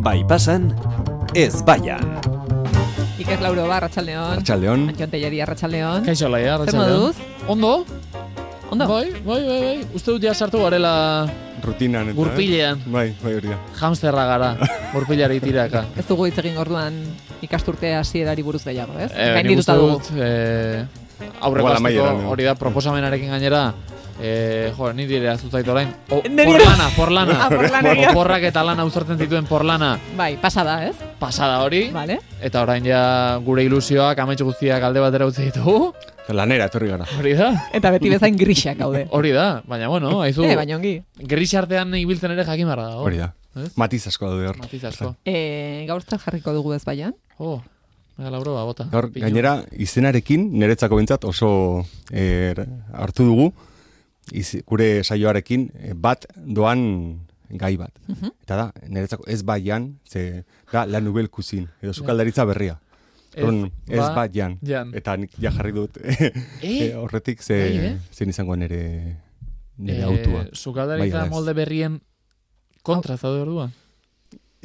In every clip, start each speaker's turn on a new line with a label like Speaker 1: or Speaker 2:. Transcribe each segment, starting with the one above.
Speaker 1: Bai pasan, ez baian.
Speaker 2: Iker Lauro ba, Arratsaldeon.
Speaker 1: Arratsaldeon.
Speaker 2: Antxon Telleria, Arratsaldeon.
Speaker 3: Kaixo laia,
Speaker 2: Zer
Speaker 3: Arratsaldeon.
Speaker 2: moduz?
Speaker 3: Ondo?
Speaker 2: Ondo?
Speaker 3: Bai. Uste dut ja sartu garela
Speaker 1: Rutinan eta.
Speaker 3: gurpilean.
Speaker 1: Bai, hori da.
Speaker 3: Hamsterra gara, gurpilari tiraka.
Speaker 2: Ez dugu hitz egin orduan ikasturte hasierari buruz gehiago, ez?
Speaker 3: Nik
Speaker 2: Gaindituta
Speaker 3: uste
Speaker 2: dugu.
Speaker 3: dut, aurreko
Speaker 1: Igual amaieran,
Speaker 3: asteko hori da proposamenarekin gainera, ni dire azuzait orain.
Speaker 2: Niri
Speaker 3: Porlana.
Speaker 2: Ah, porlaneria.
Speaker 3: Oporrak eta lana uzartzen zituen porlana.
Speaker 2: Bai, pasada, ez?
Speaker 3: Pasada hori.
Speaker 2: Vale.
Speaker 3: Eta orain ja gure ilusioak amaitz guztiak alde batera utzi ditugu.
Speaker 1: Lanera etorri gara.
Speaker 3: Hori da.
Speaker 2: Eta beti bezain grisak gaude.
Speaker 3: Hori da, baina bueno, haizu.
Speaker 2: Baina ongi.
Speaker 3: Gris artean ibiltzen ere jakin barra dago.
Speaker 1: Hori da.
Speaker 3: Ez?
Speaker 1: Matiz asko daude hor.
Speaker 3: Matiz asko.
Speaker 2: Gaur zer jarriko dugu ez baian?
Speaker 3: Mega Lauro, bota.
Speaker 1: Gaur, gainera, izenarekin, niretzako bintzat oso hartu dugu, gure saioarekin bat doan gai bat. Eta da, niretzako ez baian, ze da la nouvelle cuisine, edo sukaldaritza berria. Ez bat jan. Eta nik ja jarri dut horretik zein izango nire autua.
Speaker 3: Sukaldaritza molde berrien kontra zaude orduan?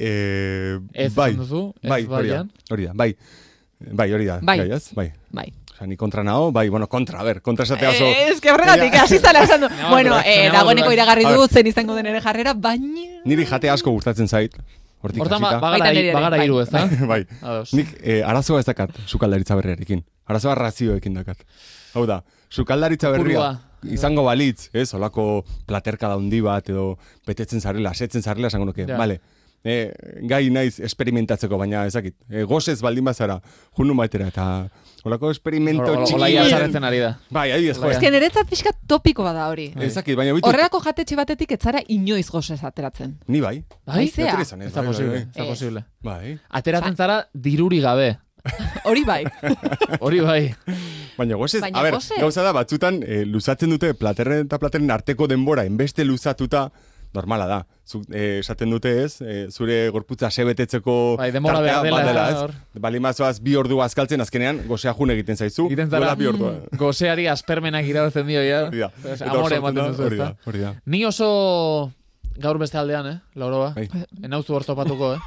Speaker 3: Ez
Speaker 1: bai,
Speaker 3: duzu?
Speaker 1: Bai, hori da. Hori da. Bai. Osa, ni kontra nao, kontra esatea oso...
Speaker 2: Ez que horregatik, hasi zala esan du. Bueno, dagoeneko iragarri dut zen izango den ere jarrera, baina...
Speaker 1: Niri jate asko gustatzen zait.
Speaker 3: Hortan bagara hiru, ez da?
Speaker 1: Bai. Nik arazoa ez dakat sukaldaritza berriarekin. Arazoa razioekin dakat. Hau da, sukaldaritza berria izango balitz, ez? Olako platerka daundi bat edo betetzen zarela, asetzen zarela, esango nuke. Vale. Gai naiz esperimentatzeko, baina ezakit. Gozez baldin bazara, junun baitera, eta olako esperimento txiki.
Speaker 3: Olaia zarretzen ari da.
Speaker 1: Bai, adibidez, joe.
Speaker 2: Ez que niretzat pixka topiko bada hori.
Speaker 1: Ezakit, baina bitu...
Speaker 2: Horrelako jatetxe batetik etzara inoiz gozez ateratzen.
Speaker 1: Ni bai.
Speaker 2: Haizea?
Speaker 3: Ez da posible.
Speaker 1: Bai.
Speaker 3: Ateratzen zara diruri gabe.
Speaker 2: Hori bai.
Speaker 3: Hori bai.
Speaker 1: Baina gozez, gauza da, batzutan luzatzen dute platerren eta platerren arteko denbora, enbeste luzatuta, normala da. Esaten dute ez, zure gorputza sebetetzeko
Speaker 3: tartea
Speaker 1: badela ez. Balimazoaz 2 ordu azkaltzen, azkenean gozea jun egiten zaizu.
Speaker 3: Egiten zara, gozeari aspermenak irabatzen dio, ja. Amore ematen duzu, ez da. Ni oso gaur beste aldean, Lauroa. Enauzu hor topatuko,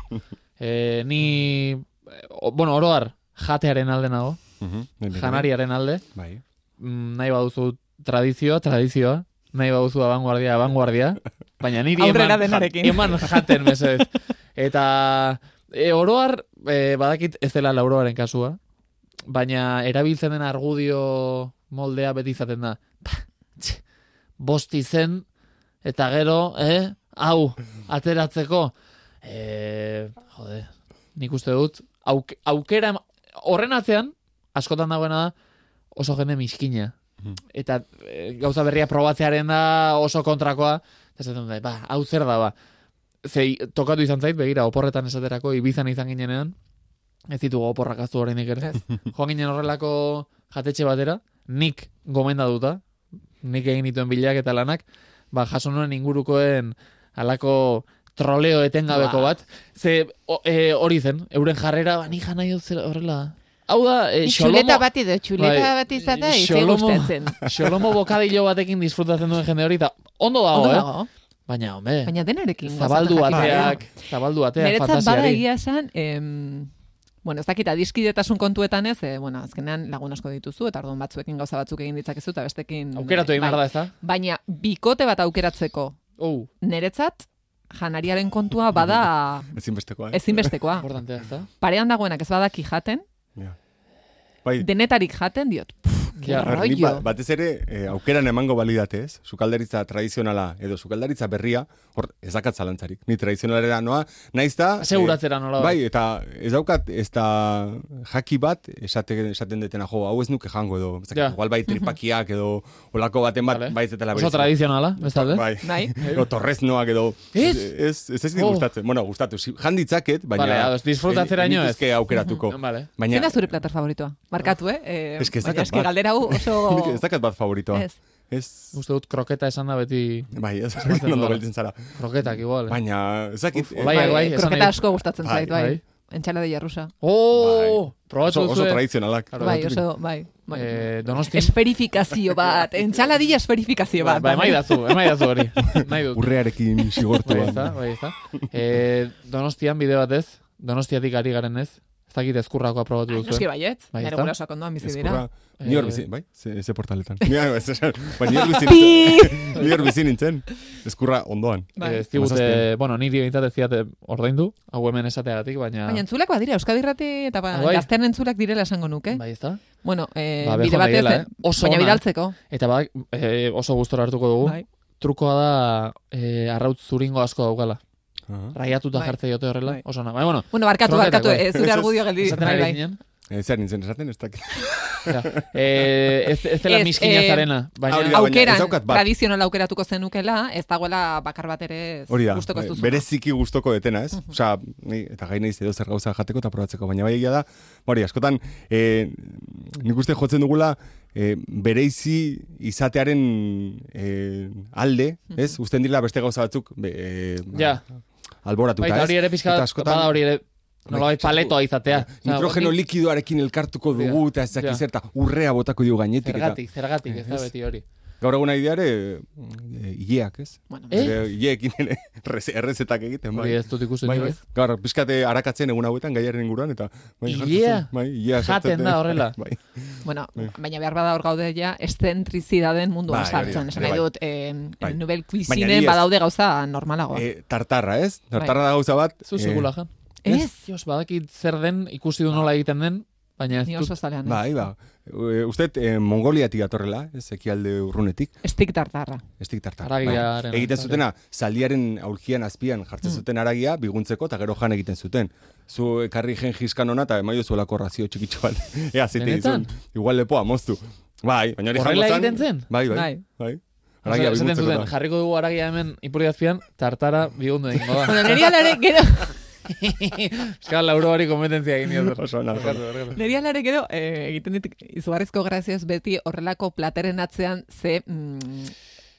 Speaker 3: Ni, oroar, jatearen alde nago. Janariaren alde. Nahi baduzu tradizioa. Nahi baduzu abanguardia. Baina niri eman jaten mesedez. Eta oroar, badakit ez dela Lauroaren kasua, baina erabiltzen den argudio moldea beti izaten da. Bosti zen, eta gero, hau, ateratzeko. Nik uste dut, aukera, horren atzean, askotan dagoena da, oso jende miskina. Eta gauza berria probatzearen da oso kontrakoa, eta zaten da, hau zer da, Zei, tokatu izan zait, begira, oporretan esaterako, Ibizan izan ginenean, ez ditugu oporrak aztu horreinik ere. Joan ginen horrelako jatetxe batera, nik gomendatuta, nik egin dituen bilak eta lanak, jaso nuen ingurukoen halako troleo etengabeko bat, ze hori zen, euren jarrera, ni jana dut horrela. Hau da,
Speaker 2: txuleta bat izata, izan gustatzen.
Speaker 3: Xolomo bokadillo batekin disfrutatzen duen jende hori, eta ondo dago, Baina, hombre,
Speaker 2: denarekin.
Speaker 3: Zabaldu ateak, fantasiari.
Speaker 2: Niretzat bada egia esan, ez dakit adiskidetasun kontuetan ez, azkenean lagun asko dituzu, eta orduan batzuekin gauza batzuk egin ditzakezu, eta bestekin...
Speaker 3: Aukeratu egin behar da, ez da?
Speaker 2: Baina, bikote bat aukeratzeko, niretzat, janariaren kontua bada... Ezinbestekoa.
Speaker 3: Importantea, ez da?
Speaker 2: Parean dagoenak ez badaki jaten, denetarik jaten, diot,
Speaker 1: batez ere, aukeran emango balidatez, sukaldaritza tradizionala edo sukaldaritza berria, hor, ez dakat zalantzarik. Ni tradizionalera noa, naiz da...
Speaker 3: Seguratzera nola.
Speaker 1: Bai, eta ez daukat, ez da jaki bat, esaten detena, hau ez nuke jango edo, igual bai tripakiak edo olako baten bat, bai ez detela
Speaker 3: oso tradizionala, ez talde?
Speaker 1: Bai, edo torreznoak edo... Ez gustatzen, gustatu, janditzaket, baina...
Speaker 2: Disfrutatzera
Speaker 3: ino ez.
Speaker 1: Ez aukeratuko.
Speaker 2: Zein da zure plater favoritoa? Markatu,
Speaker 1: Ez que
Speaker 2: galdera oso...
Speaker 1: Ez dakat bat favoritoa.
Speaker 3: Uste dut kroketa esan da beti...
Speaker 1: Bai, ez ondo beltzen zara.
Speaker 3: Kroketak igual.
Speaker 1: Baina, ez dakit...
Speaker 2: Kroketa asko gustatzen zait, bai. Entxaladilla rusa.
Speaker 3: Probatu
Speaker 1: oso tradizionalak.
Speaker 2: Bai, oso, bai.
Speaker 3: Donostin.
Speaker 2: Esferifikazio bat, entxaladilla esferifikazio bat.
Speaker 3: Emai dazu hori.
Speaker 1: Urrearekin sigortu.
Speaker 3: Bai, ez da. Donostian bide batez, Donostiatik ari garen ez, ez dakit ezkurrakoa probatu duzu.
Speaker 2: Noski baiet, nire gurasoak ondoan bizi dira.
Speaker 1: Ni hor bizi, bai? Ze portaletan. Ni hor bizi nintzen. Ezkurra ondoan.
Speaker 3: Ez digute, niri behintzat ez diate ordaindu, hau hemen esateagatik, baina...
Speaker 2: Baina entzulak badira, Euskadi Irrati eta gaztean entzulak direla esango nuke.
Speaker 3: Bai, ez da?
Speaker 2: Bueno, bide batez, baina bidaltzeko.
Speaker 3: Eta oso gustora hartuko dugu. Trukoa da arrautz zuringo asko daukala. Raiatuta jartze jote horrela, oso na. Bueno,
Speaker 2: barkatu, zure argudio geldi.
Speaker 1: Zer nintzen esaten, ez dakit.
Speaker 3: Ez dela miskina zarena.
Speaker 2: Aukeran, tradizional aukeratuko zenukela, ez dagoela bakar bat ere gustoko ez duzu.
Speaker 1: Bereziki gustoko detena, ez? Osa, eta gai nahiz edo zer gauza jateko eta probatzeko, baina bai egia da, askotan, nik uste jotzen dugula, bereizi izatearen alde, ez? Usten dira beste gauza batzuk, alboratuta, ez?
Speaker 3: Baita hori ere pizka, bada hori ere, nolabait paletoa izatea.
Speaker 1: Nitrogeno likidoarekin elkartuko dugu, eta ezak izerta urrea botako dugu gainetik.
Speaker 3: Zergatik, ez da beti hori.
Speaker 1: Gaur eguna ideare, hileak, ez? Hileekin errezetak egiten, bai.
Speaker 3: Ez dut ikusten ez.
Speaker 1: Gaur, pizkate arakatzen egun hauetan, gaiaren inguruan, eta...
Speaker 3: Hilea? Jaten da horrela.
Speaker 2: Bueno, baina behar bada hor gaude ja, estzentrizidaden munduan sartzen. Esan nahi dut, Nobel Cuisinen badaude gauza normalago.
Speaker 1: Tartarra, ez? Tartarra da gauza bat.
Speaker 3: Zu segula, jan.
Speaker 2: Ez?
Speaker 3: Badakit zer den, ikusi du nola egiten den, baina ez dut.
Speaker 2: Ni oso zalean.
Speaker 1: Bai. Usted Mongoliatik atorrela, ez ekialde urrunetik.
Speaker 2: Estik tartarra.
Speaker 1: Egiten zutena, zaldiaren aulkian azpian jartzen zuten aragia, biguntzeko, eta gero jan egiten zuten. Zu ekarri Gengis-Khan hona, eta emaio zuelako razio txikitxo bat. Zite dizun. Igual lepoa, moztu. Bai, baina hori
Speaker 3: horrela egiten zen?
Speaker 1: Bai. Aragia biguntzeko da.
Speaker 3: Jarriko dugu aragia hemen ipuri azpian, tartara bigundu egingo da.
Speaker 2: Neri alare, gero...
Speaker 3: Eskal lauro hori kompetentzia egin dut.
Speaker 2: Neri alare gero, egiten dit, izugarrizko grazioz beti horrelako plateren atzean ze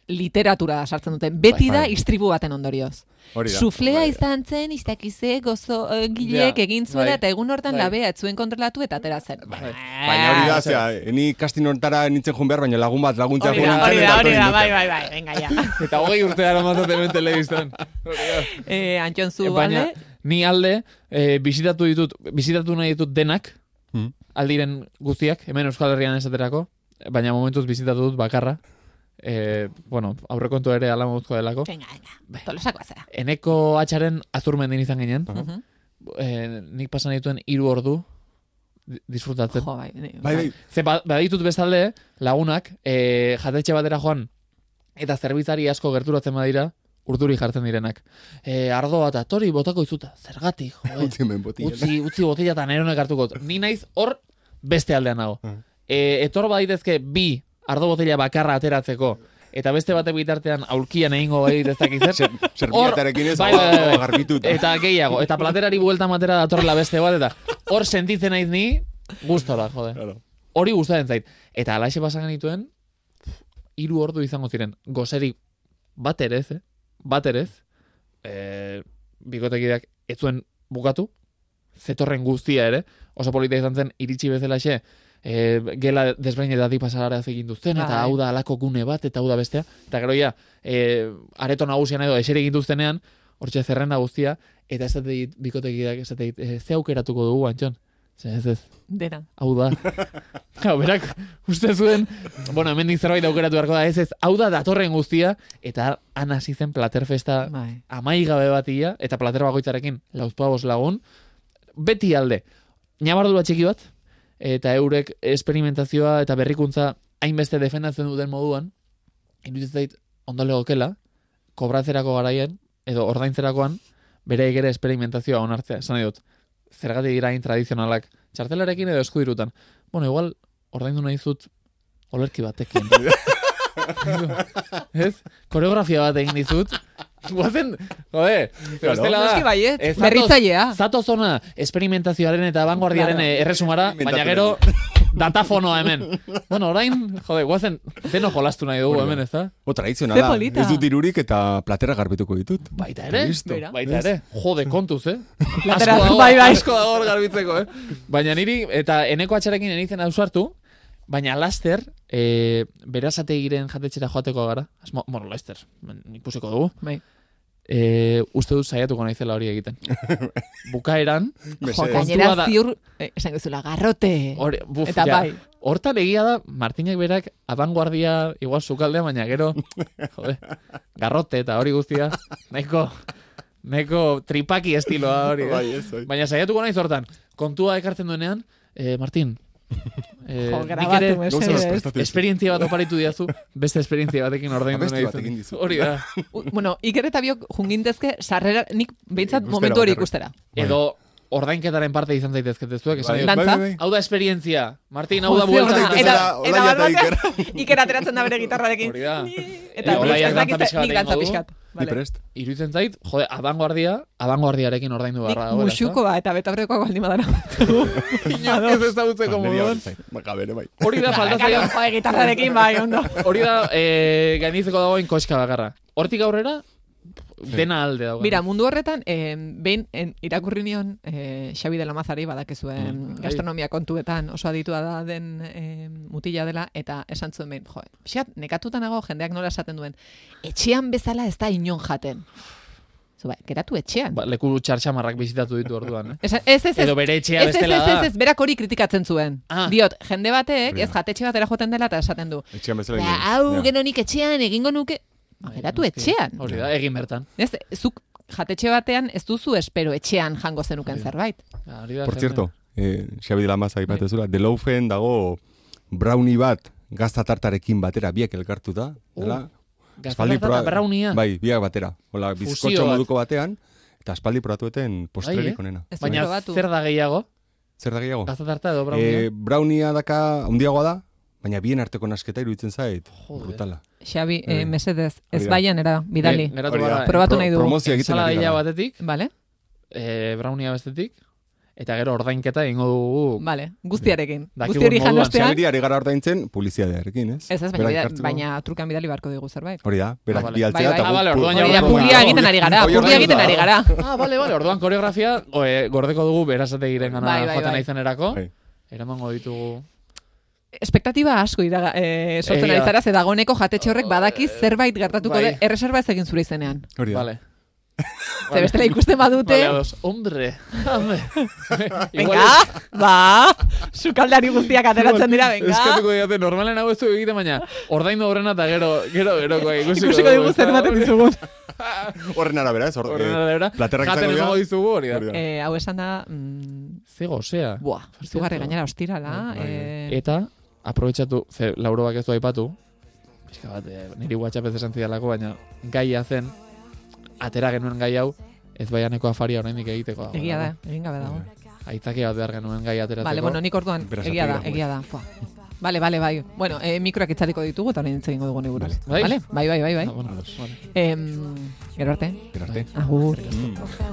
Speaker 2: literatura sartzen duten. Beti da istribu baten ondorioz. Suflea izan zen, iztakize, gozo gilek egin zuela, eta egun hortan labea etzuen kontrolatu eta atera zen.
Speaker 1: Baina hori da, zera, ni kastin hortara nintzen joan behar, baina lagun bat laguntza joan nintzen.
Speaker 2: Hori da, bai, venga, ja.
Speaker 3: Eta 20 urte dara mazaten ben telebiztan.
Speaker 2: Antxon zu, alde?
Speaker 3: Ni alde, bizitatu nahi ditut denak, aldiren guztiak, hemen Euskal Herrian esaterako, baina momentuz bizitatu dut bakarra. Aurrekontu ere ala moduzko delako.
Speaker 2: Venga, tolosako azera.
Speaker 3: Eneko atxaren azurmendin izan ginen. Nik pasan dituen 3 ordu disfrutatzen.
Speaker 2: Bai.
Speaker 3: Ze baditut bestalde lagunak, jatetxe batera joan, eta zerbitzari asko gerturatzen badira, urduri jartzen direnak. Ardoa eta tori botako izuta. Zergatik, utzi botila eta neronek hartuko. Ni naiz hor beste aldean nago. Etor baditezke 2 ardo botila bakarra ateratzeko, eta beste batek bitartean aulkian egingo bai dezakizer.
Speaker 1: Serbiatarekin ez, garbitut.
Speaker 3: Eta gehiago, eta platerari buelta matera datorrela beste bat, eta hor sentitzen naiz ni, gustora, jode. Hori gustatzen zait. Eta alaxe pasan genituen, 3 ordu izango ziren. Goserik bat ere ez, bikotekideak ez zuen bukatu, zetorren guztia ere, oso polita izan zen, iritsi bezalaxe, gela desberdinetatik pasara egin duzten, eta hau da alako gune bat, eta hau da bestea, eta gero ja, areto nagusian edo esere egin duztenean, hortxe zerrenda guztia, eta ez dut bikotekideak, ez dut, ze aukeratuko dugu, Antxon? Ez.
Speaker 2: Dena.
Speaker 3: Hau da. Berak, uste zuen, hemen zerbait aukeratu beharko da, ez, hau da datorren guztia, eta han hasi zen platerfesta amaigabe batia, eta plater bakoitzarekin 4 lagun, beti alde. Ñabardura txiki bat, eta eurek esperimentazioa eta berrikuntza hainbeste defendatzen duten moduan, iruditzen zait ondo legokela, kobratzerako garaien, edo ordaintzerakoan, bere ere esperimentazioa onartzea. Esan nahi dut, zergatik dira tradizionalak, txartelarekin edo eskudirutan. Igual, ordaindu nahi zut, olerki batekin. Ez? Koreografia bat egin dizut, guazen, estela da,
Speaker 2: berritzailea.
Speaker 3: Zato zona esperimentazioaren eta vanguardiaren erresumara, baina gero datafonoa hemen. Bueno, orain, guazen, deno jolastu nahi dugu hemen, ez da?
Speaker 1: Tradizionala, ez dut irurik eta platera garbituko ditut.
Speaker 3: Baita ere, kontuz, Asko dago hor garbitzeko, Baina niri, eta eneko atxarekin enitzen ausartu, baina laster, berazategiren jatetxera joateko gara. Bueno, laster, ikusiko dugu.
Speaker 2: Bai.
Speaker 3: Uste dut saiatuko naizela hori egiten. Bukaeran,
Speaker 2: gainera ziur, esan guzula, garrote. Eta bai.
Speaker 3: Hortan egia da, Martinek berak abanguardia igual sukaldea, baina gero, garrote eta hori guztia, nahiko tripaki estiloa hori. Baina saiatuko naiz hortan, kontua ekartzen duenean, Martin, esperientzia bat oparitu diazu, beste esperientzia batekin ordaindu nahi dizu. Hori da.
Speaker 2: Bueno, Iker eta biok jungintezke sarrera, nik behintzat momentu hori ikustera.
Speaker 3: Edo ordainketaren parte izan zaitezket zuek. Hau da esperientzia. Martin, hau da
Speaker 2: buelta. Iker ateratzen da bere gitarrarekin.
Speaker 3: Hori da.
Speaker 2: Eta nik dantza pixkat.
Speaker 3: Iruditzen zait, abanguardiarekin ordaindu barra.
Speaker 2: Nik musuko eta betabreko baldin badara.
Speaker 3: Ez ezagutzeko moduan. Hori da, faltatzea.
Speaker 2: Gitarrarekin, bai, ondo.
Speaker 3: Hori da, gainditzeko dagoen koska bakarra. Hortik aurrera, dena alde dago.
Speaker 2: Mira, mundu horretan, behin irakurri nion Xabi de la Mazari, badakezuen gastronomia kontuetan oso aditua da den mutila dela, eta esan zuen behin, pixat, nekatuta nago jendeak nola esaten duen, etxean bezala ez da inon jaten. Bai, geratu etxean.
Speaker 3: Leku txartxamarrak bizitatu ditu orduan.
Speaker 2: Ez.
Speaker 3: Edo bere etxea bestela da.
Speaker 2: Ez, berak hori kritikatzen zuen. Diot, jende batek, ez jatetxe batera joten dela eta esaten du.
Speaker 1: Etxean bezala.
Speaker 2: Hau, genonik etxean, egingo nuke. Geratu etxean.
Speaker 3: Hori da, egin bertan.
Speaker 2: Ez, zuk jatetxe batean ez duzu espero etxean jango zenuken zerbait.
Speaker 1: Por cierto, Xabi de la Maza ipatezula, de Loufen dago brownie bat gazta tartarekin batera biak elkartuta, dela?
Speaker 3: Gazta tartara brownia?
Speaker 1: Bai, biak batera. Hola, bizkotxo moduko batean, eta espaldi probatueten postrerik onena.
Speaker 3: Baina zer da gehiago?
Speaker 1: Zer da gehiago?
Speaker 3: Gazta tarta edo brownia?
Speaker 1: Brownia daka handiagoa da, baina bien arteko nasketa iruditzen zait. Brutala.
Speaker 2: Xabi, mesedez, ez baian era, bidali. Probatu nahi dugu.
Speaker 1: Promozia egiten ari gara.
Speaker 3: Batetik,
Speaker 2: vale.
Speaker 3: Brownia bestetik, eta gero ordainketa egingo dugu.
Speaker 2: Vale, guztiarekin. Guzti hori janostean.
Speaker 1: Xabiri ari gara ordaintzen publizidadearekin, ez?
Speaker 2: Ez, baina trukan bidali barko dugu zerbait.
Speaker 1: Hori da, berak bialtzea
Speaker 2: eta publia egiten ari gara.
Speaker 3: Bale, orduan koreografia gordeko dugu berazategiren gana joaten aizanerako. Eramango ditugu...
Speaker 2: Espektatiba asko sortzen ari zara, dagoeneko jatetxe horrek badakiz zerbait gertatuko de, erreserba ez egin zure izenean.
Speaker 1: Hori da.
Speaker 3: Vale.
Speaker 2: Ze bestela ikusten badute.
Speaker 3: Hombre.
Speaker 2: Venga, sukaldari guztiak ateratzen dira, venga.
Speaker 3: Eskatuko diate, normalen hau ez du egiten, baina ordaindu horrena eta gero
Speaker 2: ikusiko dugu zer ematen dizugun.
Speaker 1: Horren arabera, ez?
Speaker 3: Horren arabera.
Speaker 1: Jaten
Speaker 3: emango dizugu hori da.
Speaker 2: Hau esan da...
Speaker 3: Zego, osea.
Speaker 2: Buah, zugarri gainera ostirala.
Speaker 3: Eta, aprobetxatu, Lauroak ez du aipatu, pixka bat, niri WhatsApp ez esan zidalako, baina gaia zen, atera genuen gai hau, ez baianeko afaria oraindik egiteko dago.
Speaker 2: Egia da, egin gabe dago.
Speaker 3: Aitzakia bat behar genuen gai ateratzeko.
Speaker 2: Vale, bueno, nik orduan, egia da. Vale, bai. Bueno, mikroak itzariko ditugu, eta orain egingo dugu neguruz.
Speaker 3: Bai?
Speaker 2: Bai.
Speaker 3: Bueno,
Speaker 2: Gero arte.
Speaker 1: Gero arte.
Speaker 2: Agur.